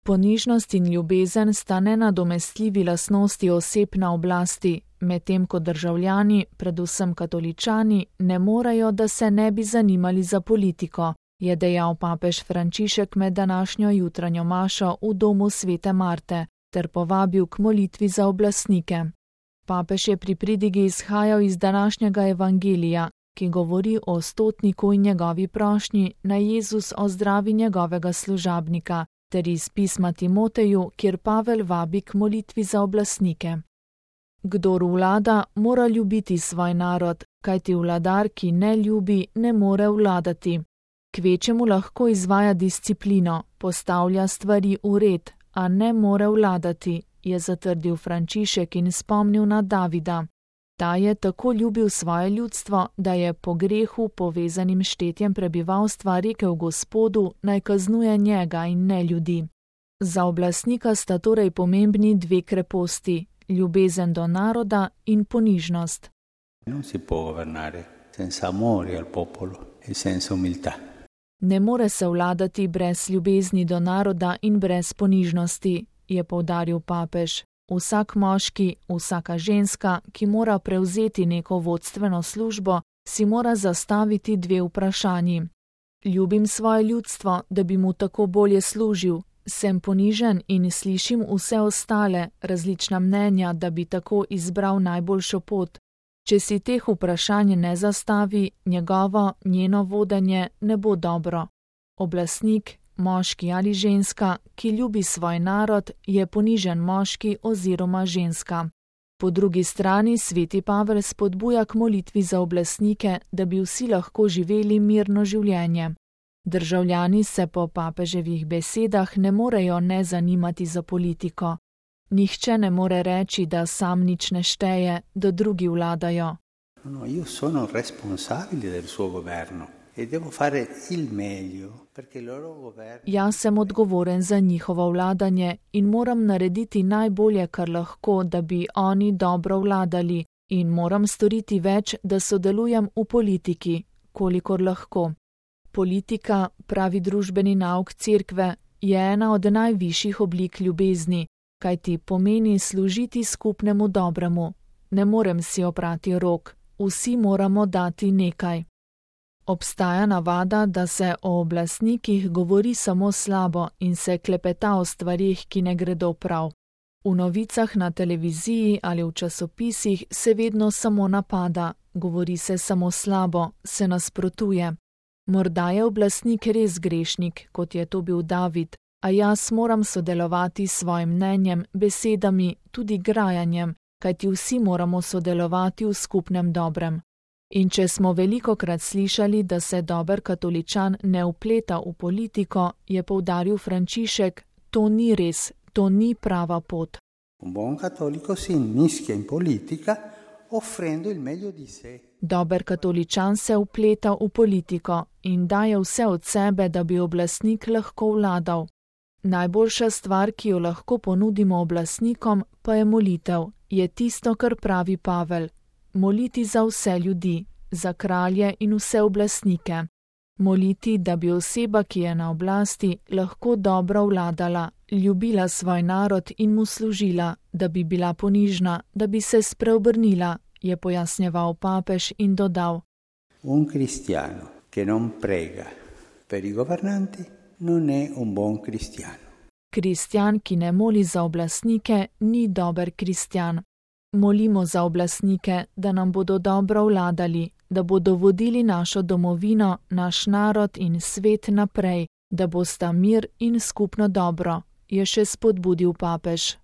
Ponižnost in ljubezen sta nenadomestljivi lastnosti oseb na oblasti, medtem ko državljani, predvsem katoličani, ne morejo, da se ne bi zanimali za politiko, je dejal papež Frančišek med današnjo jutranjo mašo v domu Svete Marte ter povabil k molitvi za oblastnike. Papež je pri pridigi izhajal iz današnjega evangelija, ki govori o stotniku in njegovi prošnji, naj Jezus ozdravi njegovega služabnika, ter iz pisma Timoteju, kjer Pavel vabi k molitvi za oblastnike. Kdor vlada, mora ljubiti svoj narod, kajti vladar, ki ne ljubi, ne more vladati. Kvečemu lahko izvaja disciplino, postavlja stvari v red, a ne more vladati, je zatrdil Frančišek in spomnil na Davida. Ta je tako ljubil svoje ljudstvo, da je po grehu povezanim štetjem prebivalstva rekel Gospodu, naj kaznuje njega in ne ljudi. Za oblastnika sta torej pomembni dve kreposti, ljubezen do naroda in ponižnost. Non si può governare senza amore al popolo e senza umiltà. Ne more se vladati brez ljubezni do naroda in brez ponižnosti, je poudaril papež. Vsak moški, vsaka ženska, ki mora prevzeti neko vodstveno službo, si mora zastaviti dve vprašanji. Ljubim svoje ljudstvo, da bi mu tako bolje služil, sem ponižen in slišim vse ostale, različna mnenja, da bi tako izbral najboljšo pot. Če si teh vprašanj ne zastavi, njeno vodenje ne bo dobro. Oblastnik, moški ali ženska, ki ljubi svoj narod, je ponižen moški oziroma ženska. Po drugi strani sveti Pavel spodbuja k molitvi za oblastnike, da bi vsi lahko živeli mirno življenje. Državljani se po papeževih besedah ne morejo ne zanimati za politiko. Nihče ne more reči, da sam nič ne šteje, da drugi vladajo. No, io sono responsabile del suo governo. Jaz sem odgovoren za njihovo vladanje in moram narediti najbolje, kar lahko, da bi oni dobro vladali, in moram storiti več, da sodelujem v politiki, kolikor lahko. Politika, pravi družbeni nauk cerkve, je ena od najvišjih oblik ljubezni, kajti pomeni služiti skupnemu dobremu. Ne morem si oprati rok, vsi moramo dati nekaj. Obstaja navada, da se o oblastnikih govori samo slabo in se klepeta o stvarih, ki ne gredo prav. V novicah na televiziji ali v časopisih se vedno samo napada, govori se samo slabo, se nasprotuje. Morda je oblastnik res grešnik, kot je to bil David, a jaz moram sodelovati s svojim mnenjem, besedami, tudi grajanjem, kajti vsi moramo sodelovati v skupnem dobrem. In če smo velikokrat slišali, da se dober katoličan ne vpleta v politiko, je poudaril Frančišek, to ni res, to ni prava pot. Un buon cattolico si inmischia in politica offrendo il meglio di sé. Dober katoličan se vpleta v politiko in daje vse od sebe, da bi oblastnik lahko vladal. Najboljša stvar, ki jo lahko ponudimo oblastnikom, pa je molitev, je tisto, kar pravi Pavel. Moliti za vse ljudi, za kralje in vse oblastnike. Moliti, da bi oseba, ki je na oblasti, lahko dobro vladala, ljubila svoj narod in mu služila, da bi bila ponižna, da bi se spreobrnila, je pojasnjeval papež in dodal. Un cristiano che non prega per i governanti non è un buon cristiano. Kristjan, ki ne moli za oblastnike, ni dober kristjan. Molimo za oblastnike, da nam bodo dobro vladali, da bodo vodili našo domovino, naš narod in svet naprej, da bosta mir in skupno dobro, je še spodbudil papež.